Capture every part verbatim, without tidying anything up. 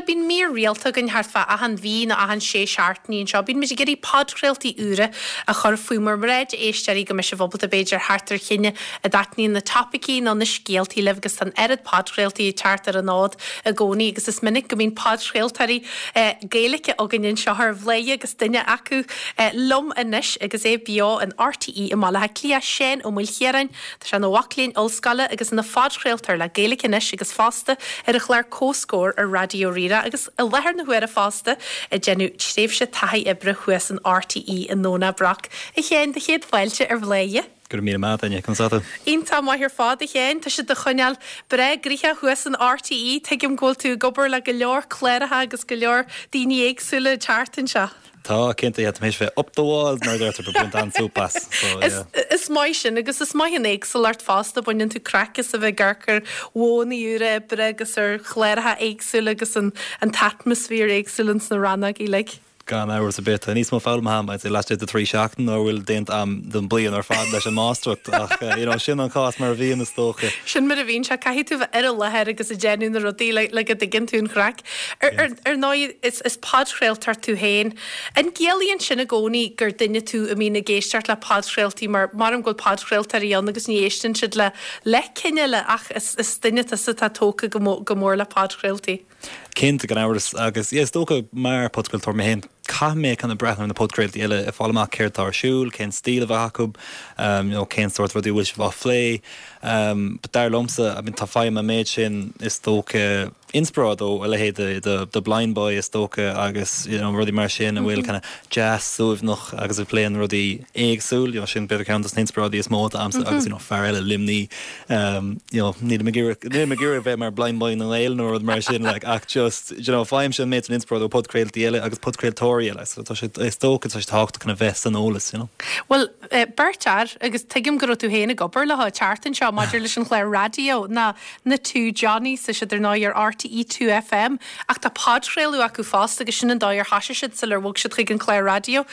Bhuel, bíonn mír rialta againn thart fá achan mhí nó achan sé seachtainí anseo. Bíonn muid ag iarraidh podchraoltaí úra a chur faoi bhur mbráid éisteoirí go mbeidh sibh ábalta b'fhéidir theacht ar chinn a dtaitníonn na topaicí nó na scéaltaí libh agus tá an oiread podchraoltaí ag teacht ar an fhód i gcónaí agus is minic go mbíonn podchraoltóirí eh, Gaeilge againn anseo ar Bhladhaire agus duine acu eh, liom anois agus é beo in RTÉ i mBaile Átha Cliath Seán Ó Maoilchiaráin, Tá sé ina mhac léinn ollscoile agus ina phodchraoltóir le Gaeilge Anois agus fosta ar an chlár Comhscór ar Raidió Rí-Rá agus i láthair na huaire fosta ag déanamh tréimhse taithí oibre thuas in RTÉ i nDomhnach Broc. A Sheáin do chéad fáilte ar Bhladhaire. Go raibh míle maith agat conas tá tú. Iontach maith ar fad a Sheáin, Tá sé do choinneáil breá gnoitheach thuas in RTÉ, tuigim go bhfuil tú ag obair le go leor cláracha agus go leor daoine éagsúla teacht anseo. Tá cinnte méis bheith up the walls mar deirtear baint an-súp as. Is, is maith sin agus is maith an éagsúlacht fosta baineann tú craic as a bheith ag amharc ar mhodhanna úra oibre agus ar chláracha éagsúla agus an, an t-atmaisféar éagsúil sna rannóga uilig. Gan amhras ar bith níos mó foghlamtha agam laistigh de trí seachtain ná bhfuil déanta agam don bliain ar fad leis an máistreacht ach you know, sin an cás mar a bhíonn is dócha. Sin mar a bhíonn sé caithfidh tú bheith ar an láthair agus ag déanamh na rudaí le, le go dtuigeann tú an chraic. Ar, ar, ar ndóigh is, is podchraoltóir tú féin. An gciallaíonn sin i gcónaí gur duine tú a mbíonn ag éisteacht le podchraoltaí mar mar go bhfuil podchraoltóirí ann agus ní éisteann siad le le cineál ach is, is duine tusa atá tógtha go, go mór le podchraoltaí. Cinnte gan amhras agus is dócha mar podchraoltóir mé féin caithfidh mé chun breathnú na podchraoltaí eile ag fáil amach céard atá ar siúl, cén stíl a bheith acu, um, you know, cén sórt rudaí bhfuil sibh á phlé. Um, but dar liomsa I mean, tá faighim an méid sin is dócha inspioráid ó a leithéid de, de, de Blindboy is dócha agus you know, rudaí mar sin a bhfuil mm -hmm. kind of deas suaimhneach agus a phléann rudaí éagsúil you know, sin b'fhéidir ceann de na inspioráidí is mó agamsa mm -hmm. agus you know, fear eile Luimnigh um, you know, níl mé ag iarraidh bheith mar Blindboy na nGael nó rud mar sin like, ach just you know, faighim sin méid an inspioráid ó podchraoltaí eile agus podchraoltóirí eile so tá sé is dócha tá sé tábhachtach chun a bheith san eolas you know. Well uh, beirt fhear agus tuigim go raibh tú féin ag obair le teacht anseo maidir leis an chlár raidió ná na Two Johnnies sa siad ar ná ar RTE Two FM ach tá podchraoladh acu fosta agus sin an dóigh ar thosaigh siad sular bhog siad chuig an chlár raidió.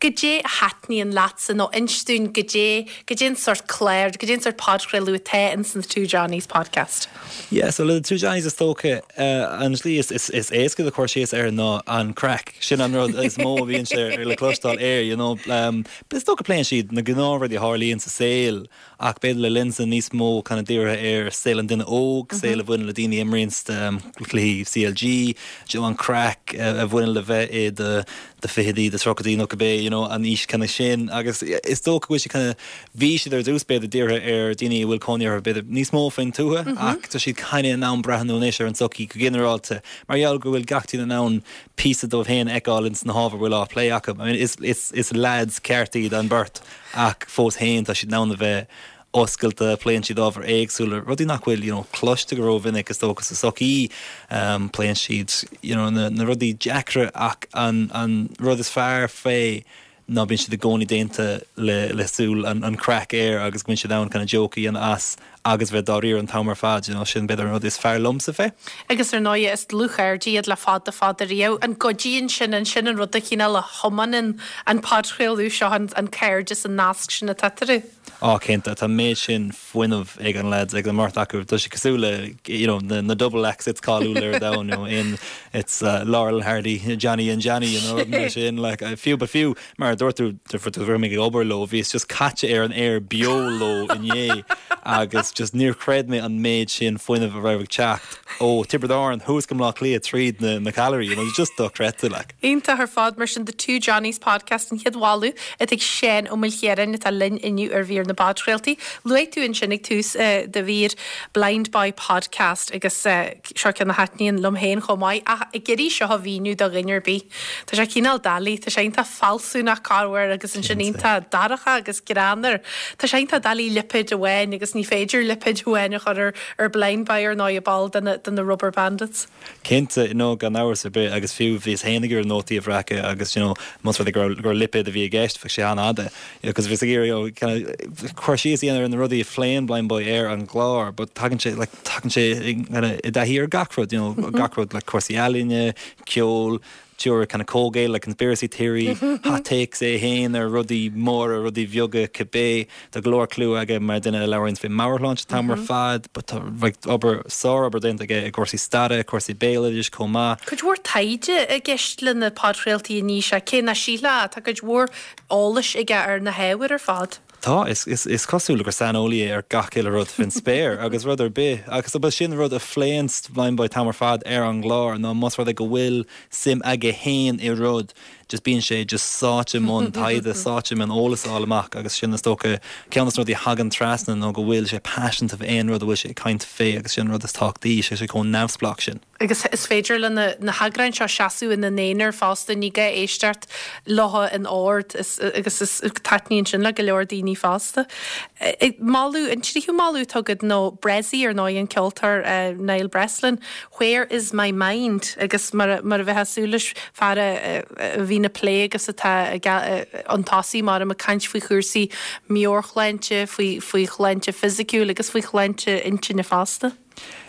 Goidé a thaitníonn leatsa nó inis dúinn goidé goidé an sórt clár, goidé an sórt podchraoladh atá in san Two Johnnies podcast. Yeah, so le Two Johnnies is dócha uh, an slí is, is, is éasca de chur síos air ná an craic sin an rud is mó a bhíonn sé ar le cloisteáil air, you know, um, is dócha pléann siad na gnáthrudaí a tharlaíonn sa saol ach b'fhéidir le lionsa níos mó kind of dírithe ar saol an duine óg, saol a bhaineann le daoine imríonn um, cluichí CLG, you know, an craic uh, a bhaineann le bheith i de de fichidí de tríochaidí nó cibé you know, an aois kind of sin agus is dócha go bhfuil sé kind of bhí siad ar dtús b'fhéidir dírithe ar daoine a bhfuil cónaí orthu b'fhéidir níos mó faoin tuath mm -hmm. ach tá siad kind of in ann breathnú anois ar an tsochaí go ginearálta mar gheall go bhfuil gach duine in ann píosa dóibh féin a fheiceáil ins na hábhair bhfuil á plé acu. I mean, is, is, is lads ceart iad an bheirt ach fós féin tá siad in ann a bheith oscailte pléann siad ábhar éagsúla rudaí nach bhfuil you know, cloiste go rómhinic is dócha sa tsochaí um, pléann siad you know, na, na rudaí deacra ach an, an rud is fearr fé ná bíonn siad i gcónaí déanta le le súil an, an craic air agus go mbíonn siad ann kind of joke a dhéanamh as agus bheith dáiríre an t-am ar fad, you know, sin b'fhéidir an rud is fearr liomsa fé. Agus ar ndóigh is dlúthchairde iad le fada fada riamh an gcuidíonn sin an sin an rud a chineál a thiomáineann an podchraoladh seo an, an cairdeas an nasc sin atá eatarthu. Á cinnte tá méid sin fuinneamh ag an lads ag an mbeirt acu Tá sé cosúil le you know, na, na double acts it's cáiliúil ar domhan you know, in it's uh, Laurel Hardy Johnny and Johnny you know, mar sin like, uh, fiú ba fiú mar dúirt tú gur ag obair leo bhíos just caite ar an aer beo leo inné agus just níor chreid mé an méid sin fuinneamh a raibh ag teacht ó Tiobraid Árann thuas go Bleá Cliath tríd na, na callairí you know, just dochreidte like. Iontach ar fad mar sin the Two Johnnies podcast an chéad mholadh atá ag Seán Ó Maoilchiaráin atá linn inniu ar mhír na bpodchraoltaí. Luaigh tú ansin ag tús uh, de mhír Blind Boy podcast agus uh, seo ceann a thaitníonn liom féin chomh maith ach ag iarraidh seo a mhíniú do dhuine ar bith. Tá sé cineál doiligh, tá sé iontach fealsúnach corruair agus ansin iontach dorcha agus greannmhar. Tá sé iontach doiligh lipéad amháin agus ní féidir lipéad amháin a chur ar, ar Blind Boy ar ná ball de na, de na Rubberbandits. Cinnte nó gan amhras ar bith agus fiú bhíos féin ag iarraidh nótaí a bhreacadh agus you know, más rud gur gur lipéad a bhí i gceist bheadh sé an-fhada because bhíos ag iarraidh cur síos a dhéanamh ar na rudaí a phléann Blindboy ar an gclár, but tagann sé like tagann sé i dtaithí ar gach rud, you know, gach rud like cúrsaí ealaíne, ceol, teoiric kind of comhghéill like conspiracy theory, hot takes é féin ar rudaí móra, rudaí beaga cibé, tá go leor clú aige mar duine a labhraíonn faoi meabhairshláinte an t-am ar fad, but tá like obair sárobair déanta aige i gcúrsaí staire, cúrsaí béaloidis chomh maith. Cuid mhór taighde i gceist le na podchraoltaí anois, cé nach sílfeá, tá cuid mhór eolais aige ar na hábhair ar fad. Tá, is, is, is cosúil gur saineolaí é ar gach uile rud faoin spéir agus rud ar bith agus ba sin rud a phléann Blindboy an t-am ar fad ar an gclár ná más rud é go bhfuil suim aige féin i rud, just bíonn sé just sáite i mbun taighde, sáite i mbun eolas a fháil amach agus sin is dócha ceann de na rudaí a thagann trasna nó go bhfuil sé paiseanta fé aon rud a bhfuil sé ag caint fé agus sin rud is tábhachtaí, sé sé chomh neamhspleách sin. Agus is féidir le na, na heagráin seo seasamh ina n-aonar fosta, ní gá éisteacht leo in ord is, agus is taitníonn sin le go leor daoine fosta. Moladh, an tríú moladh atá agat ná Bressie ar ndóigh an ceoltóir uh, Niall Breslin, Where is my mind? Agus mar, mar a bheifeá ag súil leis fear a, a bhíonn ag plé agus atá an tosaí mar ag caint faoi chúrsaí meabhairshláinte, faoi, faoi shláinte fisiciúil agus faoi shláinte intinne fosta.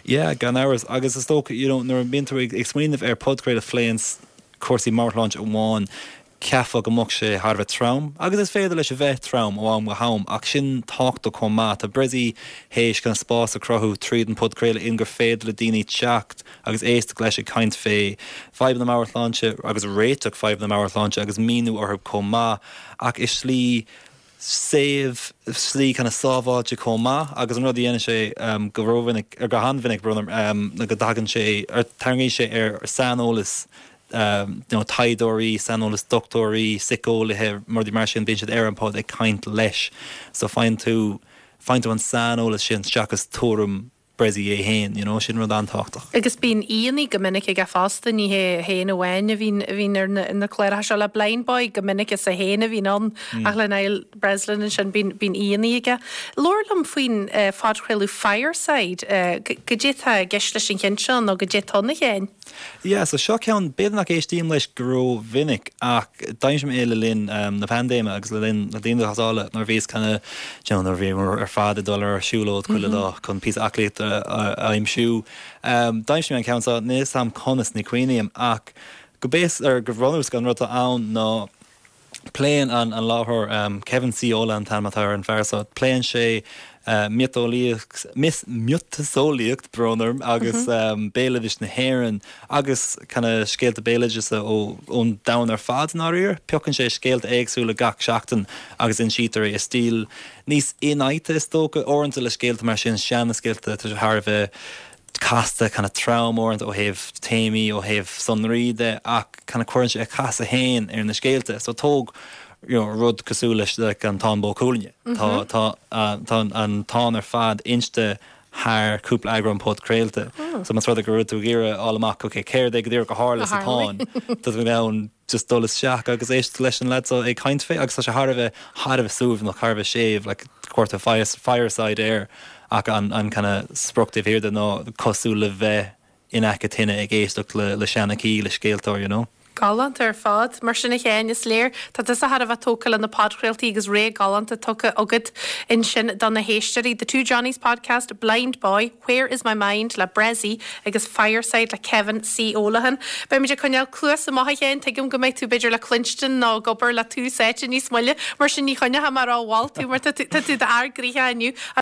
Yeah, gan amhras agus is dócha you know, nuair a bhíonn tú ag ag smaoineamh ar podchraoladh a phléann cúrsaí meabhairshláinte amháin cheapfá go mbeadh sé thar a bheith trom, agus is féidir leis a bheith trom ó am go ham ach sin tábhachtach chomh maith. Tá Bressie théis chun spás a chruthú tríd an podchraoladh in gur féidir le daoine teacht agus éisteacht leis ag caint fé fadhbanna meabhairshláinte agus réiteach fadhbanna meabhairshláinte agus míniú orthu chomh maith ach i slí séimh slí kind of sábháilte chomh maith agus an rud a dhéanann sé um, go rómhinic ar go han-mhinic um, go dtagann sé ar tarraingíonn sé ar saineolas um, you know, taighdeoirí, saineolas dochtúirí, síceolaithe mar mar sin bíonn siad ar an pod ag caint leis. So faigheann tú faigheann tú an saineolas sin seachas tuairim Bressie é féin, you know, sin rud an-tábhachtach. Agus bíonn aíonna go minic aige fosta ní hé féin amháin a bhíonn a bhíonn ar na, na cláracha seo le Blindboy go minic is é féin a bhíonn ann mm. ach le Niall Breslin sin bíonn bíonn aíonna aige. Labhair liom faoin uh, phodchraoladh Fireside uh, goidé atá i gceist leis an cheann seo nó goidé atá ann féin. Yeah, so seo ceann b'fhéidir nach éistím leis go rómhinic ach d'aimsigh mé é le linn um, na paindéime agus le linn na dianghlasála nuair bhíos kind of, you know, nuair bhí ar fad ag dul ar siúlóid chuile lá chun píosa aclaíochta a aimsiú. Um, D'aimsigh mé an ceann seo níl a fhios agam conas ní cuimhním ach go base ar go bhronús an rud ann ná pléann an an láithreoir um, Kevin C. Ola an t-ainm atá ar an fear so pléann sé uh, miotaseolaíocht miotaseolaíocht brón orm agus mm -hmm. um, béaloideas na hÉireann agus kind of scéalta béaloideasa ó ón domhan ar fad náir, piocann sé scéalta éagsúla gach seachtain agus insítear é i stíl níos infhaighte is dócha uaireanta le scéalta mar sin sean scéalta tá thar bheith casta kind of trom uaireanta ó thaobh téamaí ó thaobh sonraí de ach kind of cuireann sé a chasadh féin ar na scéalta so tóg you know, rud cosúil leis like, an Táin Bó Cúailnge. Mm -hmm. Tá tá an Táin ar fad inste thar cúpla eagrán podchraolta. Oh. So más rud go tú géire alach okay, céard é go díreach a tharla sa Táin Tá tú ann just dul isteach agus éist leis an leaid so ag caint fé agus tá sé thar a bheith thar a bheith suaimhneach thar a bheith séimh like, cuirtear fire, fireside air ach an, an kind of sprioc taobh de ná cosúil le bheith in aice tine ag éisteacht le, le seanchaí le scéaltóir, you know. Galánta ar fad, mar sin a chéin is léir Tá tusa thar a bheith tógtha le na podchraoltaí agus ré galánta tugtha agat ansin do na héisteoirí The Two Johnnies podcast, Blind Boy, Where is my mind le Bressie agus Fireside le Kevin C. O'Lahan. Beimid ag coinneáil cluas amach a Sheáin tuigim go mbeidh tú b'fhéidir le cluinstin nó ag obair le Tús Áite níos moille, mar sin ní choinneoidh mé rómhall tú mar tá tú d'fhear gnoitheach inniu.